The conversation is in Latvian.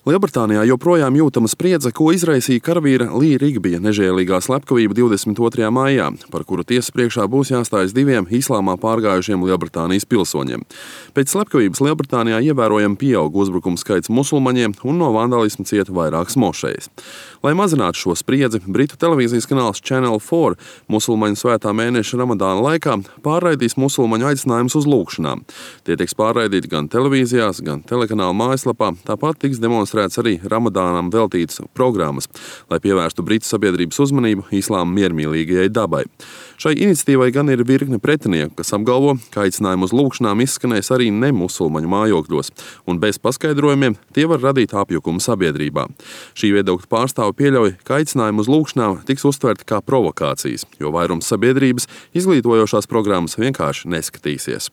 Lielbritānijā joprojām jūtama spriedze, ko izraisīja karavīra Lija Rigbija nežēlīgā slepkavība 22. maijā, par kuru tiesas priekšā būs jāstājas diviem islāmā pārgājušiem Lielbritānijas pilsoņiem. Pēc slepkavības Lielbritānijā ievērojami pieaug uzbrukumu skaits musulmaņiem un no vandalisma cieta vairākas mošejas. Lai mazinātu šo spriedzi, Britu televīzijas kanāls Channel 4 musulmaņu svētā mēneša Ramadāna laikā pārraidīs musulmaņu aicinājumus uz lūgšanām. Tie tiks pārraidīti gan televīzijās, gan telekanāla mājaslapā, tāpat tiks demonstrēts arī Ramadānam veltītas programmas, lai pievērstu Britu sabiedrības uzmanību islāma miermīlīgajai dabai. Šai iniciatīvai gan ir virkne pretinieku, kas apgalvo, ka aicinājumu uz lūgšanām izskanēs arī nemusulmaņu mājokļos, un bez paskaidrojumiem tie var radīt apjukumu sabiedrībā. Šī viedokļa pārstāve pieļauj, ka aicinājumu uz lūgšanām tiks uztverti kā provokācijas, jo vairums sabiedrības izglītojošās programmas vienkārši neskatīsies.